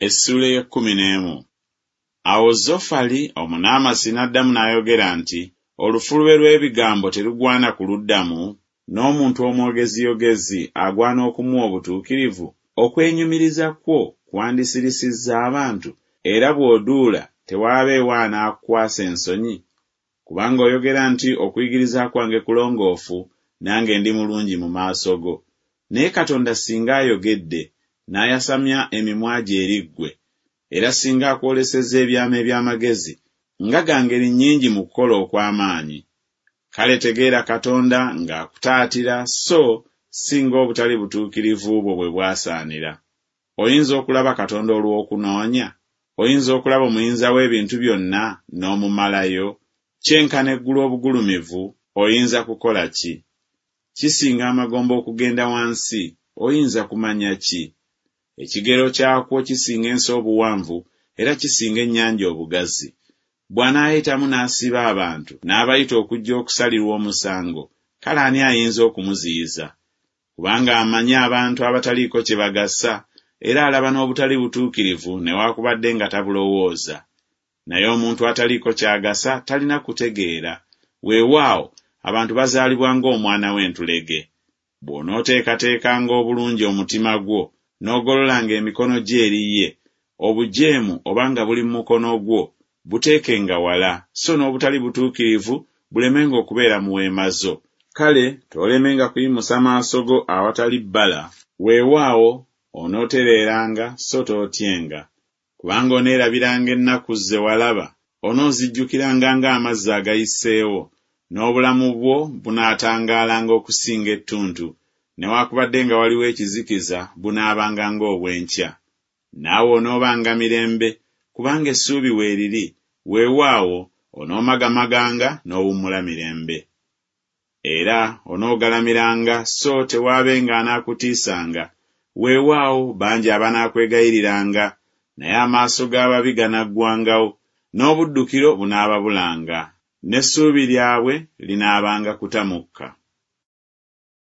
Essuula ey'ekkumi n'emu. Awo Zofali Omunaamasi n'addamu n'ayogera nti Olufulube lw'ebigambo terugwana kuluddamu? N'omuntu omwogeziyogezi agwana okumuwa obutuukirivu? Okwenyumiriza kwo kwandisirisizza abantu? Era bw'oduula tewaabeewo anaakukwasa ensonyi? Kubanga oyogera nti Okuyigiriza kwange kulongoofu, nange ndi mulungi mu maaso go. Naye Katonda singa ayogedde, n'ayasamya emimwa gye eri ggwe, era singa akwolesezza ebyama eby'amagezi, nga ga ngeri nnyingi mu kukola okw'amaanyi! Kale tegeera Katonda ng'akutaatira so si ng'obutali butuukirivu bwo bwe bwasaanira. Oyinza okulaba Katonda olw'okunoonya? Oyinza okulaba Omuyinza w'ebintu byonna n'omumalayo? Kyenkana eggulu obugulumivu, oyinza kukola ki? Kisinga amagombe okugenda wansi, oyinza kumanya ki? Ekigero kyakwo kisinga ensi obuwanvu, era kisinga ennyanja obugazi. Bw'anaayitamu n'asiba abantu, n'abayita okujja okusalirwa omusango, kale ani ayinza okumuziyiza? Kubanga amanyi abantu abataliiko kye bagasa, era alaba n'obutali butuukirivu newakubadde nga tabulowooza. Naye omuntu ataliiko ky'agasa talina kutegeera, weewaawo, abantu bazaalibwa ng'omwana w'entulege. Bw'onooteekateekanga obulungi omutima gwo, n'ogololanga emikono gyo eri ye, obujeemu oba nga buli mu mukono gwo, buteekenga wala, so n'obutali butuukirivu bulemenga okubeera mu weema zo. Kale toolemenga kuyimusa maaso go awatali bbala, weewaawo, onootereeranga, so tootyenga. Kubanga oneerabiranga ennaku ze walaba, onoozijjukiranga ng'amazzi agayiseewo, n'obulamu bwo bunaatangaalanga okusinga ettuntu, newakubadde nga waliwo ekizikiza bunaabanga ng'obw'enkya. Naawe onoobanga mirembe, kubanga essuubi weeriri, weewaawo, onoomagamaganga n'owummula mirembe. Era onoogalamiranga so tewaabenga anaakutiisanga, weewaawo, bangi abanakwegayiriranga, naye amaaso g'ababi ganaggwangawo, n'obuddukiro bunaababulanga, n'essuubi lyabwe linaabanga kuta mukka.